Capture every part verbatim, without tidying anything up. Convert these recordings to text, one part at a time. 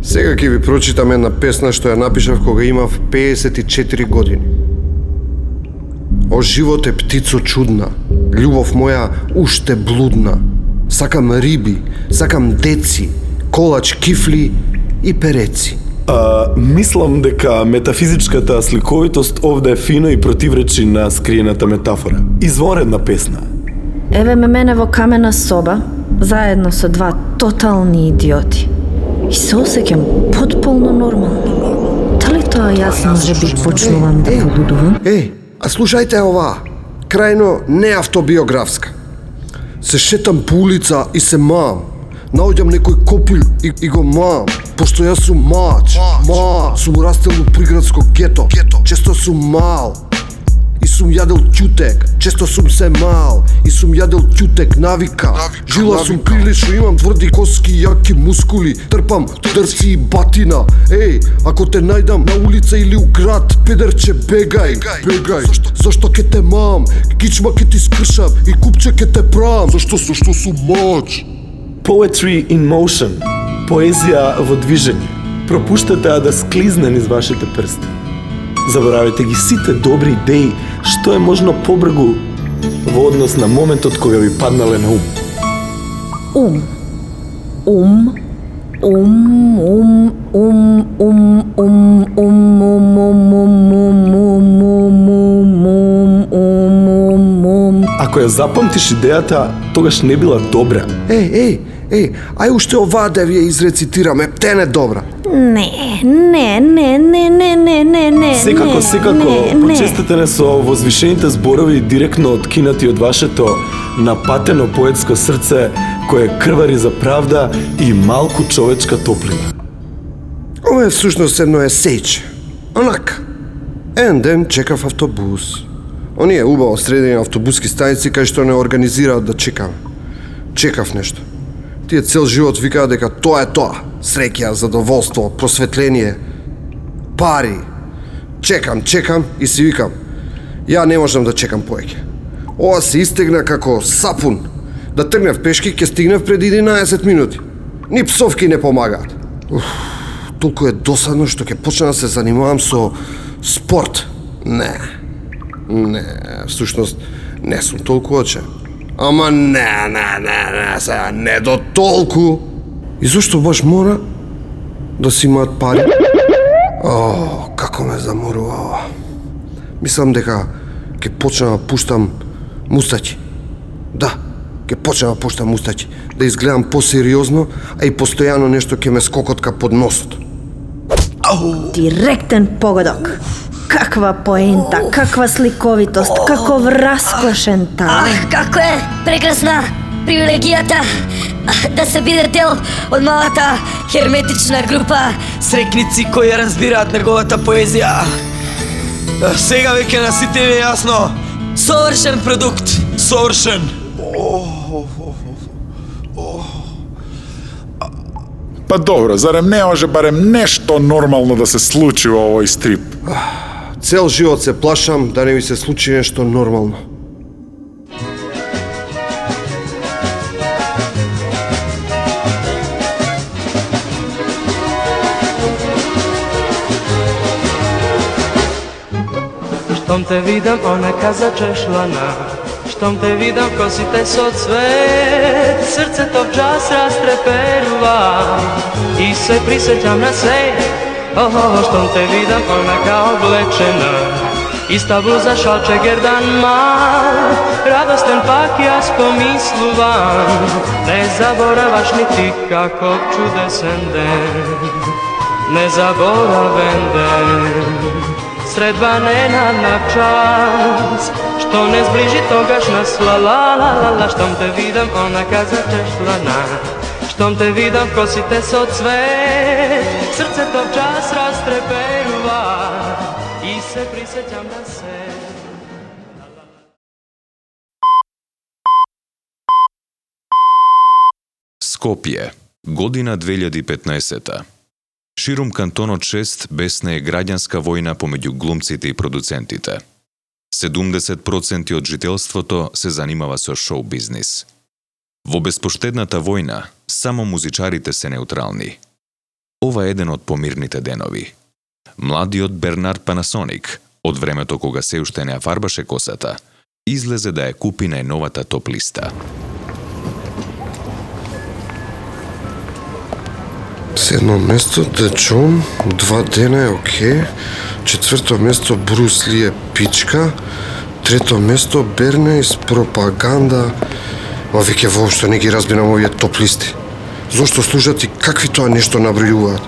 Сега ќе ви прочитам една песна што ја напишав кога имав пеесет и четири години. О живот е птицо чудна, љубов моја уште блудна. Сакам риби, сакам деци, колач, кифли и переци. А, мислам дека метафизичката сликовитост овде е фино и противречи на скриената метафора. Изворедна песна. Еве ме мене во камена соба, заедно со два тотални идиоти. И се осеќам потполно нормално. Дали тоа јас може би почнувам да полудувам? Е, а слушајте ова, крајно неавтобиографска. Се шетам по улица и се мам. Наоѓам некој копил и, и го мам. Пошто јас сум мач, ма, сум растел во приградско гето, често сум мал. И сум јадел ќутек, често сум се мал. И сум јадел ќутек, навика. Жила сум прилично, имам тврди коски, јаки мускули. Трпам дрци и батина. Еј, ако те најдам на улица или у град, педерче, бегај, бегај. Зашто ке те мам, кичма ке ти скршам и купче ке те прам. Зашто, зашто сум мач. Poetry in motion. Поезија во движење. Пропуштате да склизне низ вашите прсти. Заборавете ги сите добри идеи што е можно побргу во однос на моментот кога ви паднале на ум. Ум. Ум. Ум, ум, ум, ум, ум, ум, ум, ум, ум, ум, ум, ум, ум, ум. Ако ја запамтиш идејата, тогаш не била добра. Еј, еј, еј, ај уште оваа да ви ја изрецитирам, ептене добра. Не, не, не, не, не, не, не, не. Секако, секако, почестете со возвишените зборови директно откинати од вашето напатено поетско срце кое крвари за правда и малку човечка топлина. Ова е всушност едно есејче. Онак, еден ден чекав автобус. Оние убаво средени автобуски станици кај што не организираат да чекам. Чекав нешто. Тие цел живот викаат дека тоа е тоа. Среќа, задоволство, просветление, пари. Чекам, чекам и си викам, ја не можам да чекам повеќе. Ова се истегна како сапун. Да тргнев пешки, ќе стигнев пред единаесет минути. Ни псовки не помагаат. Уф, толку е досадно што ќе почнам да се занимавам со спорт. Не. Не, всушност не сум толку очен. Ама не, не, не, не, сега не до толку. И зашто баш мора да си имаат пари? О, како ме заморува ова. Мислам дека ќе почнам да пуштам мустаќи. Да, ќе почнам да пуштам мустаќи. Да изгледам посериозно, а и постојано нешто ќе ме скокотка под носот. Директен погодок. Каква поента, каква сликовитост, каков раскошен талент. Ах, како е прекрасна привилегијата да се биде дел од малата херметична група срекници кои разбираат неговата поезија. Сега веќе на сите е јасно. Совршен продукт. Совршен. Па добро, зарем не може барем нешто нормално да се случи во овој стрип? Цел живот се плашам да не ми се случи нешто нормално. Штом те видам, она каза чешлана. Штом те видам, косите со цвет, срцето в час растреперува и се присеќам на се. Охо, штом те видам, онака облечена, иста блуза, шалче, гердан мал, радостен пак јас помислувам, не забораваш ни ти каков чудесен ден, незаборавен ден. Средба ненадна час, што не сближи тогаш нас, ла-ла-ла-ла-ла. Штом те видам, она каза чешлана. Штом те видам, косите со цвет, срцето в час растреперува и се присеќам на се. Скопје, година две илјади и петнаесета. Ширум кантонот шест беснее граѓанска војна помеѓу глумците и продуцентите. седумдесет проценти од жителството се занимава со шоу бизнис. Во беспоштедната војна, само музичарите се неутрални. Ова е еден од помирните денови. Младиот Бернард Панасоник, од времето кога се уште не ја фарбаше косата, излезе да ја купи најновата топ-листа. Седмо место Де Джон, два дена е окей. Четврто место Брус Ли е пичка. Трето место Бернейс пропаганда. Ма веќе воопшто не ги разбирам овие топ листи. Зошто служат и какви тоа нешто набројуваат?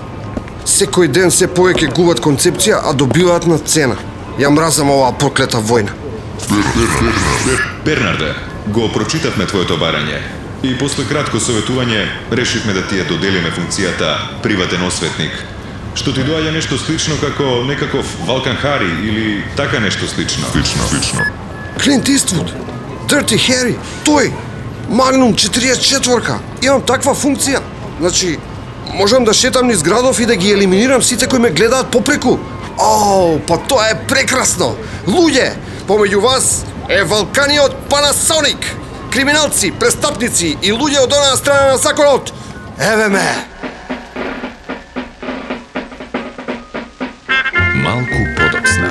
Секој ден се повеќе губат концепција, а добиваат на цена. Ја мразам оваа проклета војна. Бернарде, го прочитавме твоето барање и после кратко советување решивме да ти ја доделиме функцијата приватен осветник. Што ти доаѓа нешто слично како некаков Валкан Хари или така нешто слично? Слично, слично. Клинт Иствуд, Дирти Хери, тој, Магнум четириесет и четврка. Имам таква функција. Значи, можам да шетам низ градов и да ги елиминирам сите кои ме гледаат попреку. Оу, па тоа е прекрасно. Луѓе, помеѓу вас е Валканиот Панасоник. Криминалци, престапници и луѓе од онаа страна на законот. Еве ме. Малку подоцна.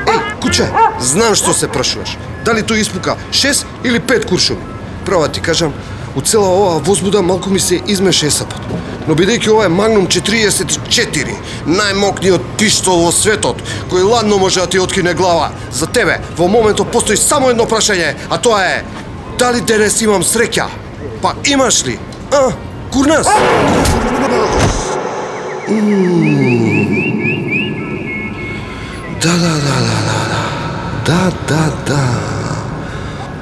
Еј, куче, знам што се прашуваш. Дали тој испука шест или пет куршуми? Права ти кажам, у цела оваа возбуда малку ми се измеше есапот. Но бидејќи ова е Магнум четириесет и четири, најмокниот пиштол во светот, кој ладно може да ти откине глава, за тебе во моментот постои само едно прашање, а тоа е: дали денес имам среќа? Па имаш ли? А, курнас? Да, да, да, да, да, да. Да, да, да.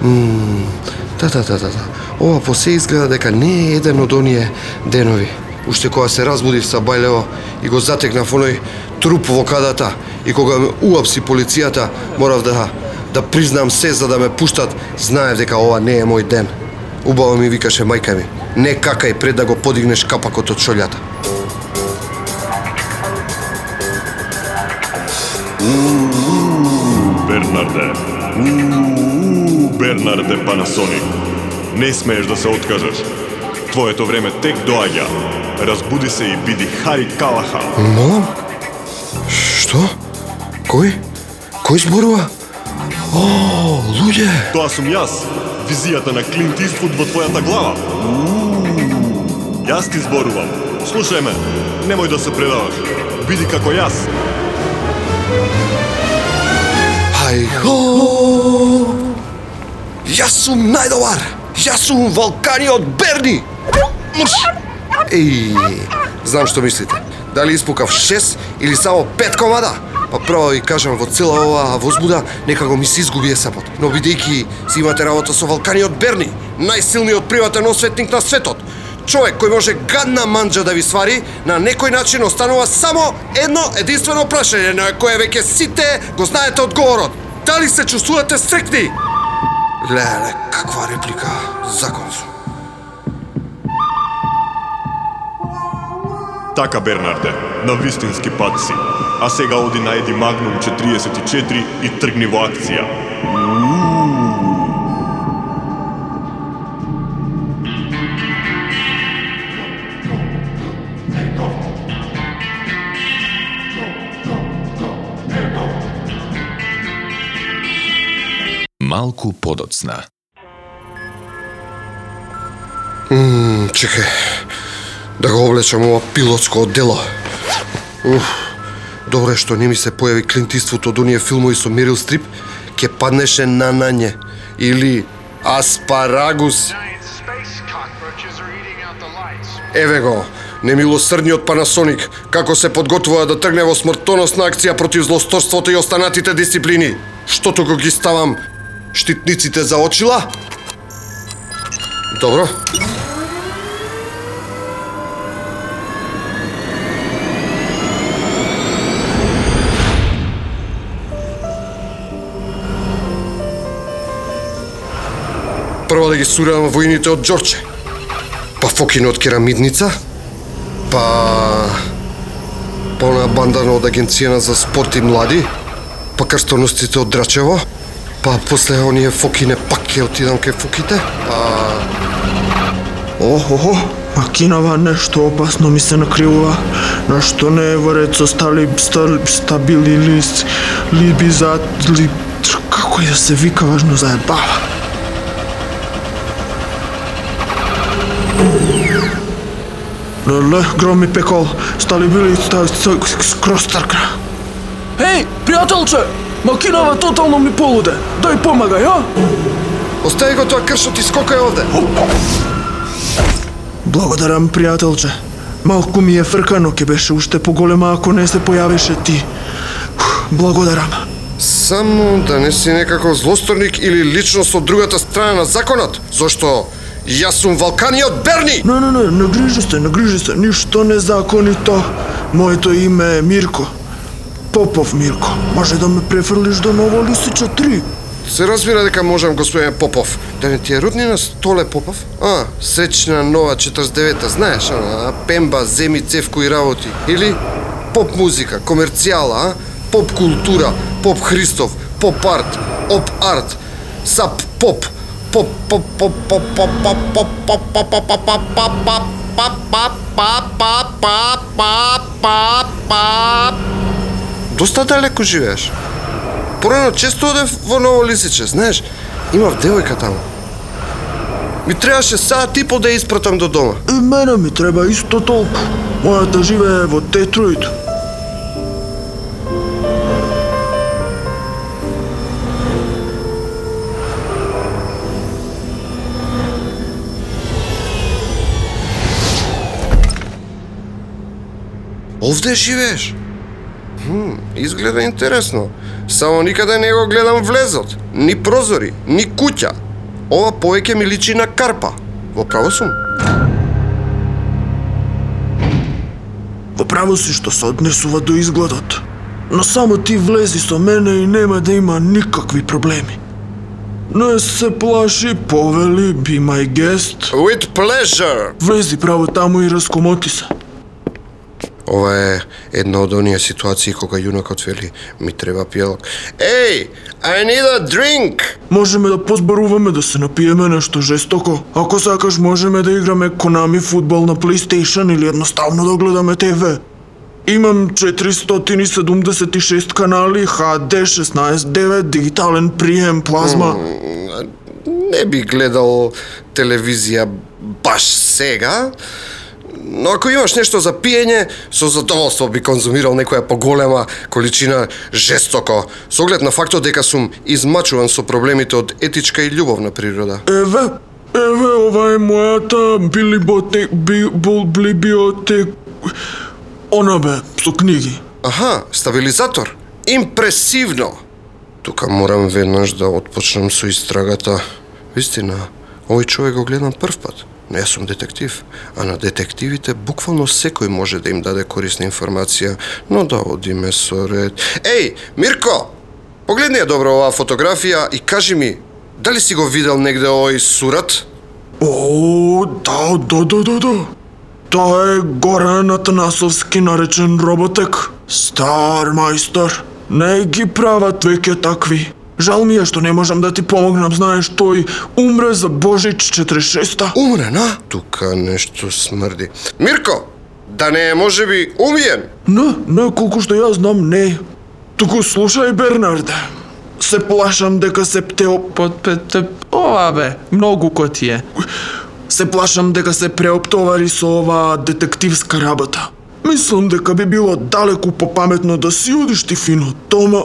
Мм, да, да, да, да, да. Ова посе изгледа дека не е еден од оние денови. Уште кога се разбудив са бајлево и го затекнав оној труп во кадата и кога ме уапси полицијата, морав да да признам се за да ме пуштат, знаев дека ова не е мој ден. Убаво ми викаше мајка ми: не какај пред да го подигнеш капакот од шолјата. Бернарде, Ууу, Бернарде Панасоник, не смееш да се откажеш. Твоето време тек доаѓа. Разбуди се и биди Хари Калахан. Молам? Што? Кој? Кој зборува? О, луѓе! Тоа сум јас, визијата на Клинт Иствуд во твојата глава. Ууу, јас ти зборувам. Слушај ме, немој да се предаваш. Биди како јас. Хај хо! Јас сум најдобар! Јас сум Валканиот Берни! Мрш! Еј, знам што мислите. Дали испукав шест или само пет комада? Па право ви кажам, во цела оваа возбуда некако ми се изгуби есапот. Но бидејќи си имате работа со Валканиот Берни, најсилниот приватен осветник на светот, човек кој може гадна манџа да ви свари, на некој начин останува само едно единствено прашање на кое веќе сите го знаете одговорот. Дали се чувствувате среќни? Леле, каква реплика, закон сум. Така, Бернарде, на вистински пат си. А сега оди најди Магнум четириесет и четири и тргни во акција. Малку подоцна. Мм, чекај. Да го облечам ова пилотско оддело. Уф, добре што не ми се појави Клинт Иствуд од оние филмови со Мерил Стрип, ке паднеше на нање. Или аспарагус. Еве го, немилосрдниот Панасоник, како се подготвува да тргне во смртоносна акција против злосторството и останатите дисциплини. Што туку ги ставам штитниците за очила? Добро. Прво да ги сурам војните од Џорче, па Фокин од Керамидница, па па онаа банда од Агенцијана за спорт и млади, па крстоносците од Драчево, Па после оние фокине пак ќе отидам кај фоките. А Охо, Макинава нешто опасно ми се накривува. Нешто не е во ред со стали стали стабили лист, либизат, ли како и да се вика, важно заебава. Леле, громи пекол, стали били скроз тркна. Еј, пријателче, Макинава тотално ми полуде. Дај помагај, а? остави го тоа кршот и скокај овде. Благодарам, пријателче. Малку ми е фркано, ќе беше уште поголема ако не се појавише ти. Благодарам. Само да не си некако злосторник или личност од другата страна на законот, зашто јас сум Валканиот Берни! Не, не, не, не грижи се, не грижи се, ништо незаконито. Моето име е Мирко. Попов Мирко. Може да ме префрлиш до Ново Лисиче три. Се разбира дека можам, господин Попов. Да не ти е роднина Столе Попов? А, сречна нова четрдесет и девета, знаеш, она, пемба, земи, цевко и работи. Или поп музика, комерцијала, а? Поп култура, поп Христов, поп арт, оп арт, сап поп, поп поп поп поп поп поп поп поп поп поп поп поп поп. Доста далеко живееш. Порано често одев во Ново Лисиче, знаеш, имав девојка таму. Ми требаше саат и по да ја испратам до дома. И мене ми треба исто толку. Мојата живее во Детройт. Овде живееш? Хм, изгледа интересно. Само никаде не го гледам влезот. Ни прозори, ни куќа. Ова повеќе ми личи на карпа. Во право сум? Во право си што се однесува до изгледот. Но само ти влези со мене и нема да има никакви проблеми. Не се плаши, повели, be my guest. With pleasure. Влези право таму и раскомоти се. Ова е една од оние ситуации кога јунакот вели ми треба пијалок. Ей, I need a drink! Можеме да позборуваме да се напиеме нешто жестоко. Ако сакаш можеме да играме Konami фудбал на PlayStation или едноставно да гледаме Т В. Имам четиристотини и седумдесет и шест канали, Х Д шеснаесет девет, дигитален прием, плазма. Mm, не би гледал телевизија баш сега, но ако имаш нешто за пиење, со задоволство би конзумирал некоја поголема количина жестоко, со оглед на фактот дека сум измачуван со проблемите од етичка и љубовна природа. Еве, еве, ова е мојата билиботек, би, бул, библиотек, она бе, со книги. Аха, стабилизатор. Импресивно. Тука морам веднаш да отпочнам со истрагата. Вистина, овој човек го гледам прв пат. Не сум детектив, а на детективите буквално секој може да им даде корисна информација, но да одиме со ред. Еј, Мирко! Погледни ја добро оваа фотографија и кажи ми, дали си го видел негде овој сурат? О, да, да, да, да, да. Тоа е Горан Атанасовски наречен Роботек. Стар мајстор. Не ги прават веќе такви. Жал ми е што не можам да ти помогнам, знаеш, тој умре за Божич четириесет и шеста. Умре, на? Тука нешто смрди. Мирко, да не е можеби умиен? Не, не, колку што ја знам, не. Туку слушај, Бернарде. Се плашам дека се птеопотпете... Ова бе, многу коти е. Се плашам дека се преоптовари со оваа детективска работа. Мислам дека би било далеку попаметно да си одиш ти фино дома,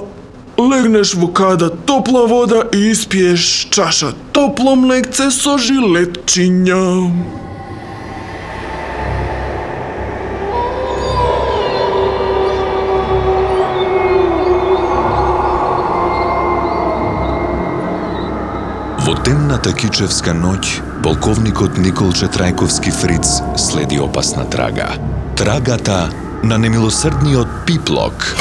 легнеш во када топла вода и испиеш чаша топло млекце со жилетчиња. Во темната кичевска ноќ, полковникот Николче Трајковски Фриц следи опасна трага. Трагата на немилосрдниот пиплок.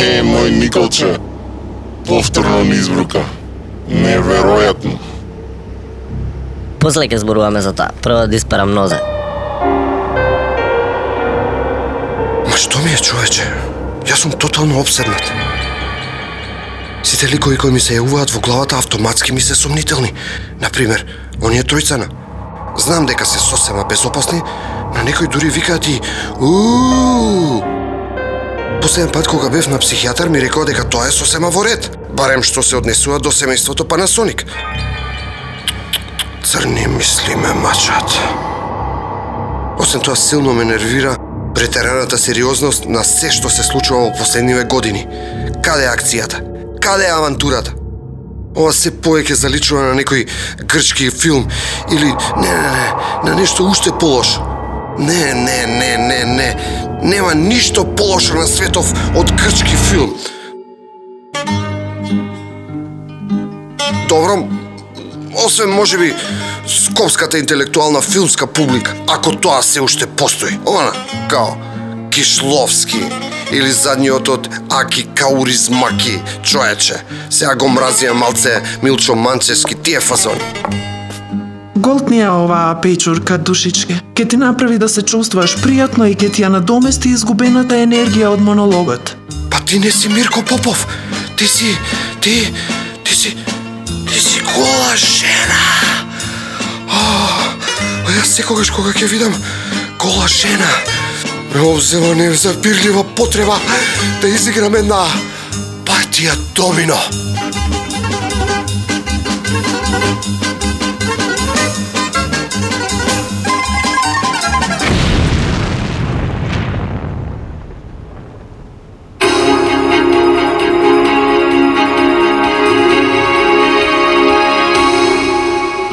Е, мој Николче, повторно ни избрука. Неверојатно. После ќе зборуваме за тоа. Прво да испарам нозе. Ма што ми е, човече? Јас сум тотално обседнат. Сите ликови кои ми се јавуваат во главата автоматски ми се сомнителни. Например, оние тројцана. Знам дека се сосема безопасни, на некои дури викаат и уу. Последен пат кога бев на психијатар ми рекол дека тоа е сосема во ред, барем што се однесува до семејството Panasonic. Црни мисли ме мачат. Освен тоа силно ме нервира претераната сериозност на се што се случува во последниве години. Каде е акцијата? Каде е авантурата? Ова се повеќе заличува на некој грчки филм или не, не, не, на нешто уште полошо. Не, не, не, не, не. Нема ништо полошо на светов од грчки филм. Добро, освен можеби скопската интелектуална филмска публика, ако тоа се уште постои. Она, као Кишловски или задниот од Аки Кауризмаки, човече. Сега го мразија малце Милчо Манчевски, тие фазони. Голтни е оваа печурка, душичке. Ке ти направи да се чувствуваш пријатно и ке ти ја надомести изгубената енергија од монологот. Па ти не си Мирко Попов. Ти си, ти, ти си, ти си гола жена. А јас секогаш кога ќе видам гола жена, ме обзема незапирлива потреба да изиграм една партија домино.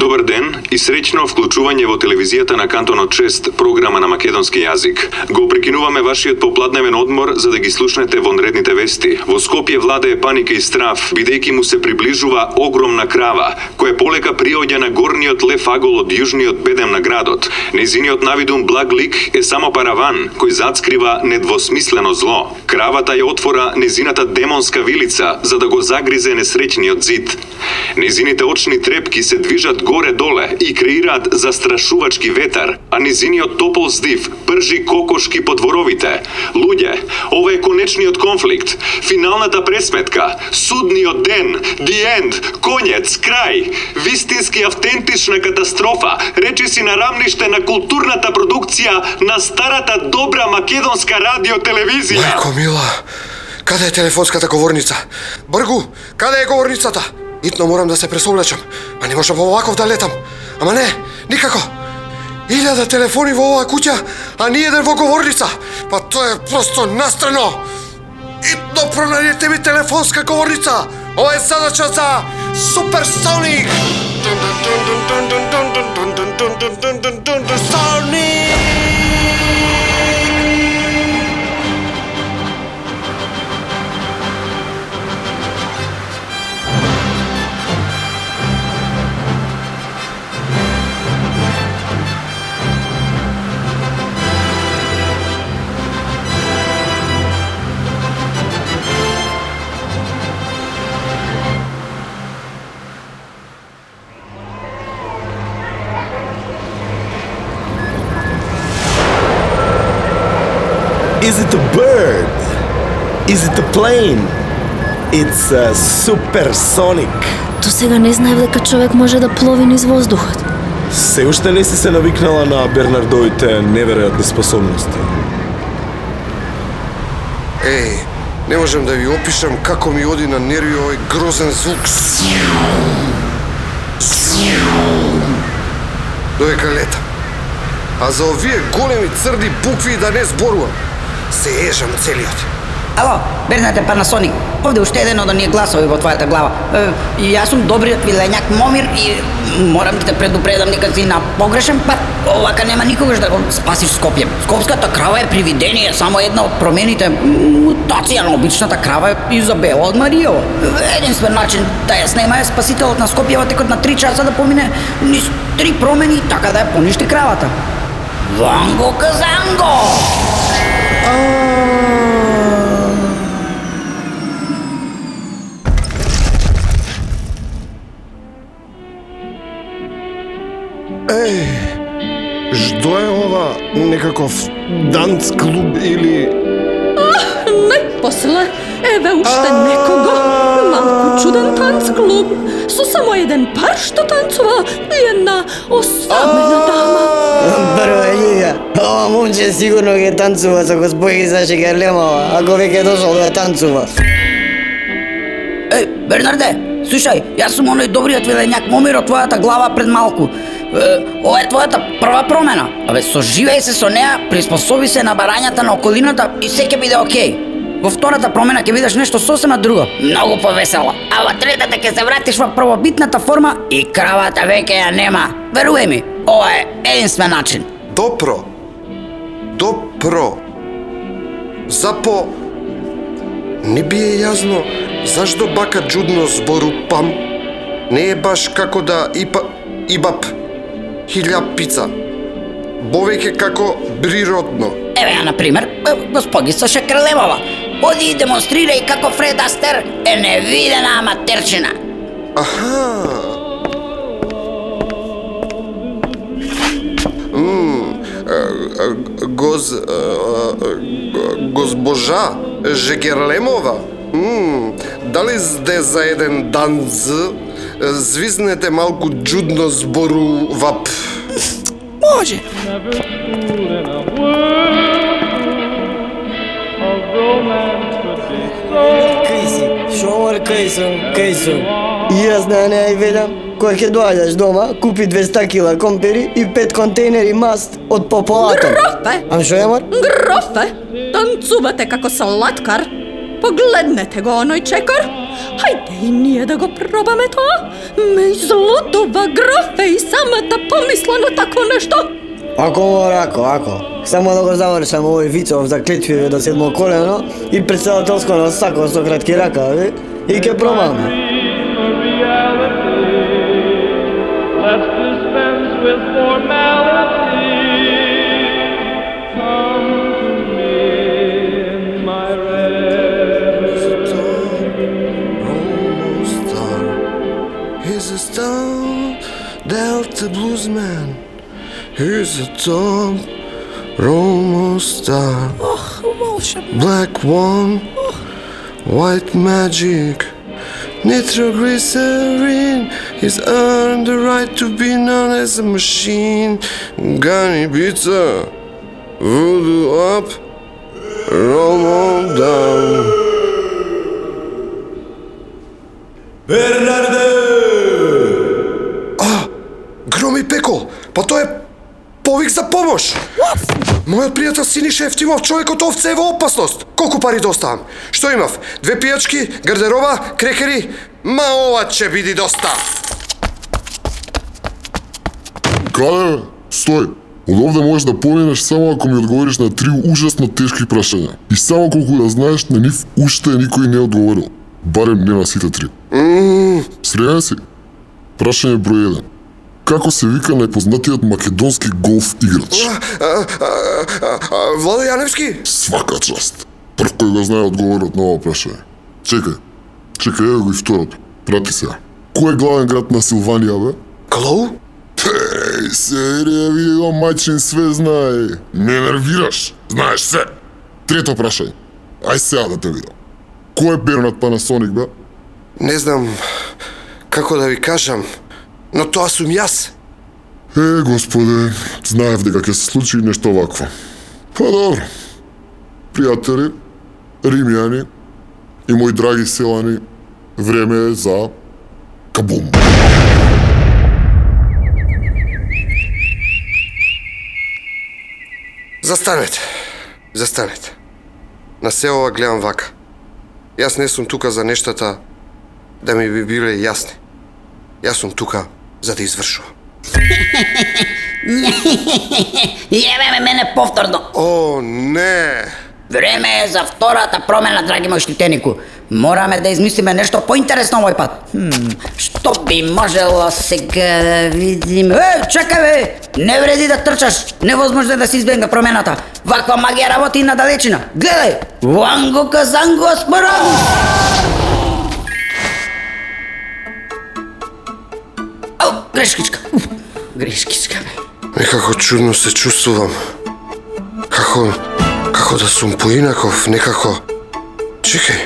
Добар ден и среќно вклучување во телевизијата на Кантонот шест, програма на македонски јазик. Го прекинуваме вашиот попладневен одмор за да ги слушнете вонредните вести. Во Скопје владее паника и страв, бидејќи му се приближува огромна крава, која полека приоѓа на горниот лев агол од јужниот бедем на градот. Нејзиниот навидум благ лик е само параван, кој зацкрива недвосмислено зло. Кравата ја отвора нејзината демонска вилица, за да го загризе несреќниот зид. Нејзините очни трепки се движат горе-доле и креираат застрашувачки ветар, а низиниот топол здив пржи кокошки по дворовите. Луѓе, ова е конечниот конфликт, финалната пресметка, судниот ден, the end, конец, крај, вистински автентична катастрофа, речиси на рамниште на културната продукција на старата добра македонска радио-телевизија. Мајко мила, каде е телефонската говорница? Бргу, каде е говорницата? Итно морам да се пресоблечам, а не можам оваков да летам. Ама не, никако. Илјада телефони во оваа куќа, а ни еден во говорница. Па тоа е просто настрано. Итно пронајдете ми телефонска говорница. Ова е задача за Суперсоник. Соник! Is it a bird? Is it a plane? It's a supersonic. До сега не знаев дека човек може да плови низ воздухот. Се уште не си се навикнала на Бернардовите неверојатни способности. Еј, не можам да ви опишам како ми оди на нерви овој грозен звук. Додека летам. А за овие големи црни букви да не зборувам. Се ежам целиот. Ало, Бернарде Panasonic, овде уште еден од оние гласови во твојата глава. Е, јас сум добриот вилењак Момир и морам да те предупредам дека си на погрешен пат. Овака нема никогаш да го спасиш Скопје. Скопската крава е привидение, само една од промените, мутација на обичната крава е Изабела од Маријево. Единствен начин да ја снема е спасителот на Скопје во текот на три часа да помине низ три промени така да ја поништи кравата. Ванго Казанго! Што е ова? Некаков данц клуб или... Најпосле, еве уште некого. Малку чуден танц клуб. Со само еден пар што танцува и една осамена дама. Прво лига, ова момче сигурно ќе танцува со господица Шекерлемова, ако веќе дошол да танцува. Еј, Бернарде, слушај, јас сум оној добриот вилењак Момир од твојата глава пред малку. Е, ова е твојата прва промена. Абе, соживеј се со неа, приспособи се на барањата на околината и се ќе биде окей. Во втората промена ќе видиш нешто сосема друго, многу повесело. А во третата ќе се вратиш во првобитната форма и кравата веќе ја нема. Веруј ми, ова е единствен начин. Допро. Допро. Запо... Не би е јасно зашто бака Джудно збору пам не е баш како да ипа... ибап хилјап пица. Бовеќе како природно. Еве ја, например, господица Шекерлемова. Оди и демонстрирај како Фред Астер е невидена аматерчина. Аха. Мм, гоз... Госпожа Жегерлемова. Мм, дали сте за еден данц звизнете малку Джудно збору вап? Може. Кај си? Шомар, кај сум, кај сум. И јас на неа и велам, кој ќе доаѓаш дома, купи двеста кила компери и пет контейнери маст од пополатом. Грофе! Ам шо е, мор? Грофе! Танцувате како салаткар. Погледнете го оној чекор. Хајде и ние да го пробаме тоа. Ме излудува Грофе и самата помисла на такво нешто. Ако мора, ако, ако. Само да го завршам овој Вицов за клетвиве до седмо колено и председателско на сако со кратки ракави и ќе пробаме. Let's dispense with formality. Come to me in my rest. Almost star. He's a star, Delta bluesman. He's a top Romo star. Black one, white magic. Nitroglycerin. He's earned the right to be known as a machine. Gunny pizza, voodoo up, Romo down. Бернарде! А, Громи Пеко, па тоа е повик за помош. Мојот пријател Синиша Евтимов, човекот овце е во опасност. Колку пари доставам? Што имав? Две пијачки, гардероба, крекери? Ма ова ќе биде доста. Каде? Стој. Од овде можеш да поминеш само ако ми одговориш на три ужасно тешки прашања. И само колку да знаеш, на нив уште никој не одговорил. Барем не на сите три. Mm. Среќен си? Прашање број еден. Како се вика најпознатиот македонски голф играч? Владо Јаневски? Свака част. Прв кој го знае одговорот на ова прашање. Чекај. Чекај, ево го и второто. Прати се. Кој е главен град на Силванија, бе? Клоу? Еј, серија, види го, мајчин све знае. Не нервираш. Знаеш се. Трето прашање. Ај сега да те видам. Кој е Бернат Панасоник, бе? Не знам како да ви кажам, но тоа сум јас. Е, господе, знаев дека ќе се случи нешто овакво. Па добро. Пријатели, римјани и мои драги селани, време е за кабум. Застанете. Застанете. На се ова гледам вака. Јас не сум тука за нештата да ми би биле јасни. Јас сум тука за да извршувам. Јебе ме мене повторно. О, не. Време е за втората промена, драги мој штитенику. Мораме да измислиме нешто поинтересно овој пат. Хм, што би можело сега да видиме? Е, чекај бе! Не вреди да трчаш. Невозможно е да се избегне промената. Ваква магија работи и на далечина. Гледај! Ванго казанго спорам! Ау, грешкичка. грешкичка. Некако чудно се чувствувам. Како... како да сум поинаков, некако... Чекај.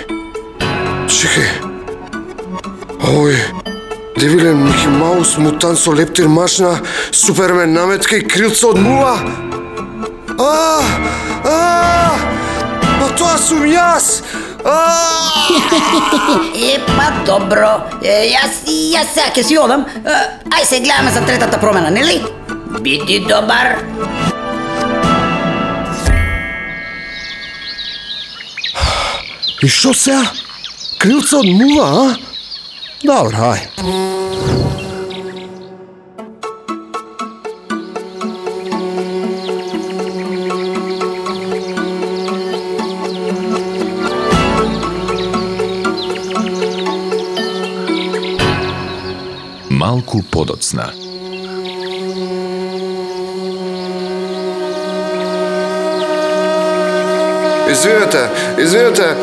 Чекај. Овој... Девилен Мики Маус, мутант со лептир машина, Супермен наметка и крилца од мула. А! А! Па тоа сум јас! Епа, добро. Е, јас, јас сега ќе си одам. Ај се гледаме за третата промена, нели? Биди добар. И што сега? Крилца од мула, а? Добро, ај. Малку подоцна. Извинете, извинете,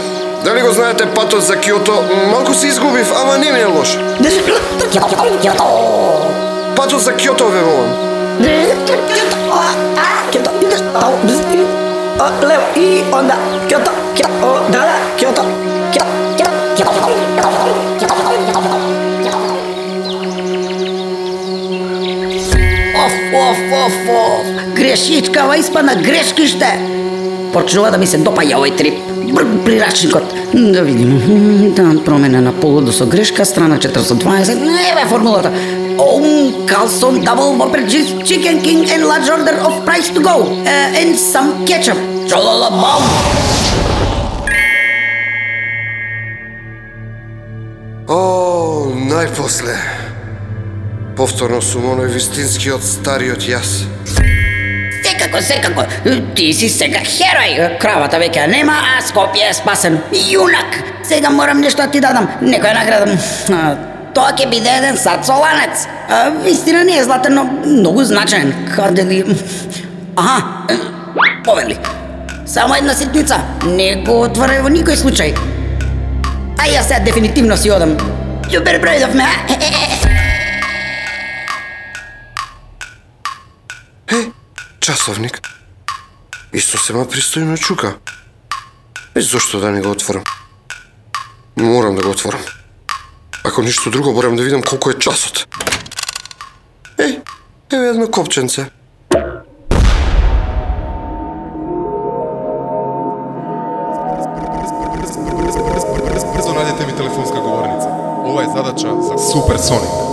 дали го знаете патот за Киото? Малку се изгубив, ама не ми е лош. Патот за Киото ве волам. Лево и онда Киото, Киото, да, да, Киото, Оф, оф, оф, оф. Грешичкава испадна грешкиште. Почнува да ми се допаја овој трип. Прирачникот. Да видим. Дан промена на полудо со грешка, страна четириста дваесет. Еве формулата. Own Carlson double whopper chicken king and large order of price to go. Uh, and some ketchup. Чололобом. О, најпосле. Повторно сум оној вистинскиот стариот јас. Секако, секако. Ти си сега херој. Кравата веќе нема, а Скопје е спасен. Јунак. Сега морам нешто да ти дадам. Некоја награда. А, тоа ќе биде еден сад со ланец. А, вистина не е златен, но многу значаен. Каде ли... Аха, повели. Само една ситница. Не го отварај во никој случај. А јас сега дефинитивно си одам. Љубер бројдов ме, а? Часовник. Исто сема пристојно чука. И зошто да не го отворам? Морам да го отворам. Ако ништо друго, морам да видам колку е часот. Еј, еве едно копченце. Брзо најдете ми телефонска говорница. Ова е задача за Суперсоник.